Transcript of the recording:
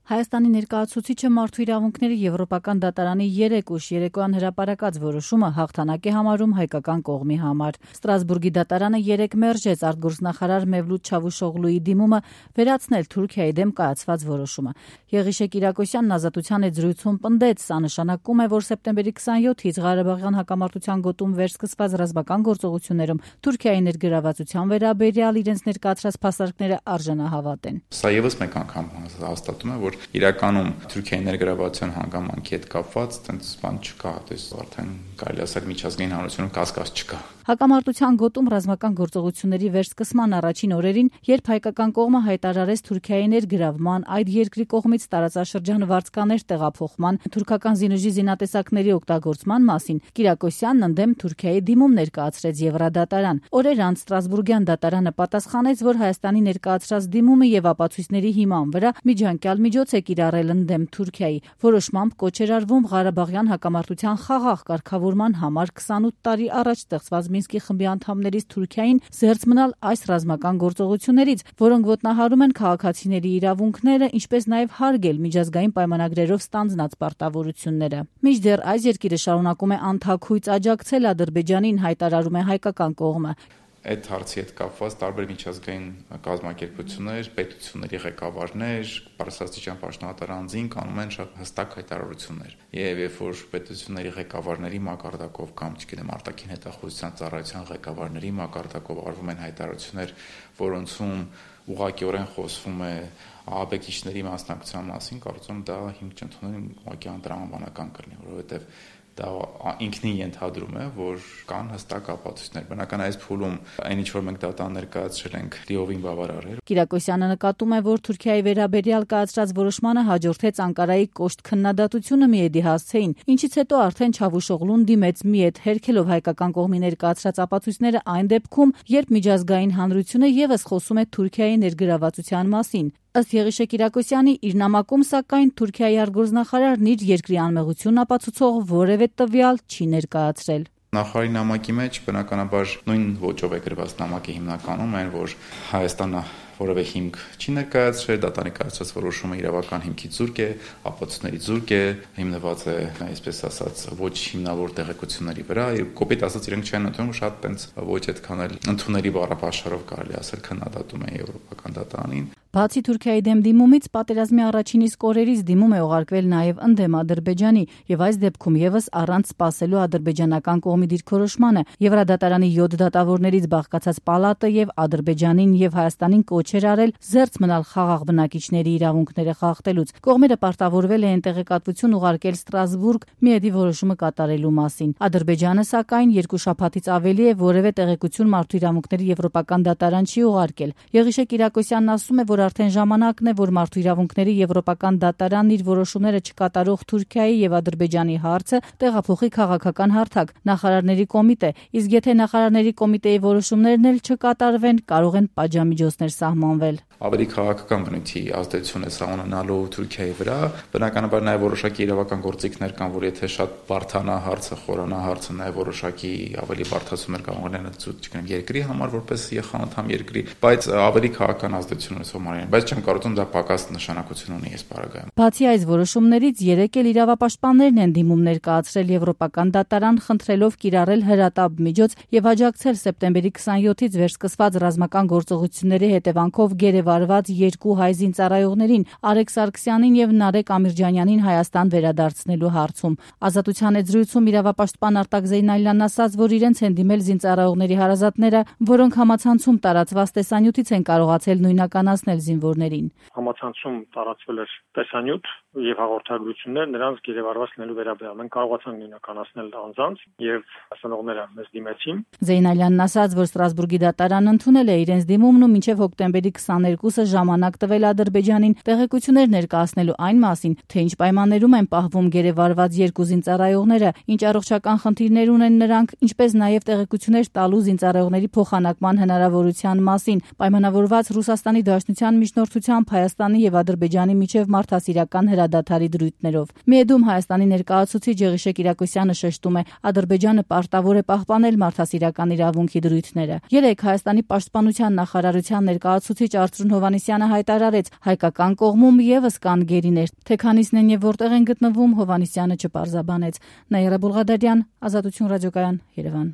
Հայաստանի ներկայացուցիչը մարդու իրավունքների Եվրոպական դատարանի 3 ուշ երեկոյան հրապարակած որոշումը հաղթանակ է համարում հայկական կողմի համար։ Ստրասբուրգի դատարանը 3 մերժեց արտգործնախարար Մևլութ Չավուշօղլուի դիմումը վերացնել Թուրքիայի դեմ կայացված որոշումը։ Եղիշե Կիրակոսյանն Ազատության հետ զրույցում պնդեց, սա նշանակում է, որ սեպտեմբերի 27-ից Ղարաբաղյան հակամարտության գոտում վերսկսված ռազմական գործողություններում Թուրքիայի ներգրավվածության վերաբերյալ իրենց ներկայացրած փաստարկները արժանահավատ են։ Սա եւս մեկ անգամ հաստատում է, որ իրականում Թուրքիայի ներգրավվածության հանգամանքի հետ կապված տենց բան չկա, արդեն կարելի ասել միջազգային հանրությունում կասկած չկա։ Հակամարտության գոտում ռազմական գործողությունների վերսկսման առաջին օրերին, երբ հայկական կողմը հայտարարեց Թուրքիայի ներգրավման, այդ երկրի կողմից տարածաշրջան վարձկաներ տեղափոխման, թուրքական զինուժի զինատեսակների օգտագործման մասին, Կիրակոսյանն ընդդեմ Թուրքիայի դիմում ներկայացրեց Եվրադատարան։ Օրեր անց Ստրասբուրգյան դատարանը պատասխանեց, որ Հայաստանի ներկայացրած դիմումը եւ ապացույցների հիման վրա միջանկյալ միջոց է կիրառել ընդդեմ Թուրքիայի։ Որոշմամբ կոչ էր արվում Ղարաբաղյան հակամարտության խաղաղ կարգավորման համար 28 տարի առաջ ստեղծված Մինսկի խմբի անդամներից Թուրքիային զերծ մնալ այս ռազմական գործողություններից, որոնք ոտնահարում են քաղաքացիների իրավունքները, ինչպես նաև հարգել միջազգային պայմանագրերով ստանձնած պարտավորությունները։ Մինչդեռ այս երկիրը շարունակում է անթաքույց աջակցել Ադրբեջանին, հայտարարում է հայկական կողմը։ Այդ հարցի հետ կապված տարբեր միջազգային կազմակերպություններ, պետությունների ղեկավարներ, բարձրաստիճան պաշտոնատար անձինք կանում են շատ հստակ հայտարարություններ։ Եվ երբ որ պետությունների ղեկավարների մակարդակով կամ չգիտեմ արտաքին հետախուզության ծառայության ղեկավարների մակարդակով արվում են հայտարարություններ, որոնցում ուղղակիորեն խոսվում է ահաբեկիչների մասնակցության մասին, կարծում եմ դա հիմք չընդունեն ուղղակի անտրամաբանական կլինի, որովհետև դա ինքնին ենթադրում է, որ կան հստակ ապացույցներ։ Բնական այս փուլում այն ինչ որ մենք դատան ներկայացրել ենք լիովին բավարար է։ Կիրակոսյանը նկատում է, որ Թուրքիայի վերաբերյալ կայացրած որոշմանը հաջորդեց Անկարայի կոշտ քննադատությունը Միեդի հասցեին, ինչից հետո արդեն Չավուշօղլուն դիմեց Միեդ, հերքելով հայկական կողմի ներկայացրած ապացույցները այն դեպքում, երբ միջազգային հանրությունը եւս խոսում է Թուրքիայի ներգրավվածության մասին։ Ըստ Եղիշե Կիրակոսյանի, իր նամակում սակայն Թուրքիայի արտգործնախարարն իր երկրի անմեղությունն ապացուցող որևէ տվյալ չի ներկայացրել։ Նախարարի նամակի մեջ բնականաբար նույն ոճով է գրված նամակի հիմնականում այն, որ Հայաստանը որևէ հիմք չի ներկայացրել, դատարանի կայացրած որոշումը իրավական հիմքի զուրկ է, ապացույցների զուրկ է, հիմնված է, այսպես ասած, ոչ հիմնավոր տեղեկությունների վրա, եւ կոպիտ ասած իրենք չեն ընդունում, շատ տենց ոչ այդքան էլ ընդունելի բառապաշարով կարելի ասել քննադատում է Եվրոպական դատարանին։ Բացի Թուրքիայի դեմ դիմումից պատերազմի առաջին իսկ օրերից դիմում է ուղարկվել նաև ընդդեմ Ադրբեջանի եւ այս դեպքում եւս առանց սպասելու ադրբեջանական կողմի դիրքորոշմանը Եվրադատարանի 7 դատավորներից բաղկացած պալատը եւ Ադրբեջանին եւ Հայաստանին կոչ էր արել զերծ մնալ խաղաղ բնակիչների իրավունքները խախտելուց։ Կողմերը պարտավորվել են տեղեկատվություն ուղարկել Ստրասբուրգ Միեդի որոշումը կատարելու մասին։ Ադրբեջանը սակայն 2 շաբաթից ավելի է որևէ տեղեկություն մարդու իրավունքների Եվրոպական դատարան չի ուղարկել։ Եղիշե Կիրակոսյանն ասում է, որ արդեն ժամանակն է, որ մարդու իրավունքների Եվրոպական դատարանն իր որոշումները չկատարող Թուրքիայի եւ Ադրբեջանի հարցը տեղափոխի քաղաքական հարթակ նախարարների կոմիտե, իսկ եթե նախարարների կոմիտեի որոշումներն էլ չկատարվեն, կարող են պատժամիջոցներ սահմանվել։ Ավելի քաղաքական բնույթի ազդեցություն է սա ունենալու Թուրքիայի վրա, բնականաբար նաև որոշակի իրավական գործիքներ կան, որ եթե շատ բարդանա հարցը, խորանա հարցը, նաև որոշակի ավելի բարդացումներ կարող են ցույց երկրի համար որպես ԵԽ երկրի, բայց ավելի քաղաքական ազդեցություն ունեցող մարմին, բայց չեմ կարծում դա պակաս նշանակություն ունի այս պարագայում։ Բացի այս որոշումներից 3 էլ իրավապաշտպաններն են դիմում ներկայացրել Եվրոպական դատարան, խնդրելով կիրառել հրատապ միջոց եւ աջակցել սեպտեմբերի 27-ից վերսկսված ռազմական գործողությունների հետևանքով գերեվարված 2 հայ զինծառայողներին՝ Արեգ Սարգսյանին եւ Նարեկ Ամիրջանյանին Հայաստան վերադարձնելու հարցում։ Ազատության հետ զրույցում իրավապաշտպան Արտակ Զեյնալյանն ասաց, որ իրենց են դիմել զինծառայողների հարազատները, որոնք համացանցում տարածված տեսանյութից են կարողացել նույնականացնել զինվորներին։ Համացանցում տարածվել էր տեսանյութ եւ հաղորդագրություններ նրանց գերեվարված լինելու վերաբերյալ։ Մենք կարողացանք նույնականացնել անձանց եւ հասանողները մեզ դիմեցին։ Զեյնալյանն ասաց, որ Ստրասբուրգի դատարանն ընդունել է իրենց դիմումն ու մինչեւ հոկտեմբերի 22-ը ժամանակ տվել Ադրբեջանին տեղեկություններ ներկայացնելու այն մասին, թե ինչ պայմաններում են պահվում գերեվարված 2 զինծառայողները, ինչ առողջական խնդիրներ ունեն նրանք, ինչպես նաեւ տեղեկություններ տալու զինծառայողների փոխանակման հնարավորության մասին։ Պայմանավորված Ռուսաստանի Դաշնության պաշտպանության միջնորդությամբ Հայաստանի եւ Ադրբեջանի միջև մարդասիրական հրադադարի դրույթներով։ Միեդում Հայաստանի ներկայացուցիչ Եղիշե Կիրակոսյանը շեշտում է, Ադրբեջանը պարտավոր է պահպանել մարդասիրական իրավունքի դրույթները։ Երեկ Հայաստանի պաշտպանության նախարարության ներկայացուցիչ Արծրուն Հովհաննիսյանը հայտարարեց, հայկական կողմում եւս կան գերիներ, թե քանիսն են եւ որտեղ են գտնվում, Հովհաննիսյանը չպարզաբանեց։ Նաիրա Բուլղադարյան, Ազատություն ռադիոկայան, Երևան։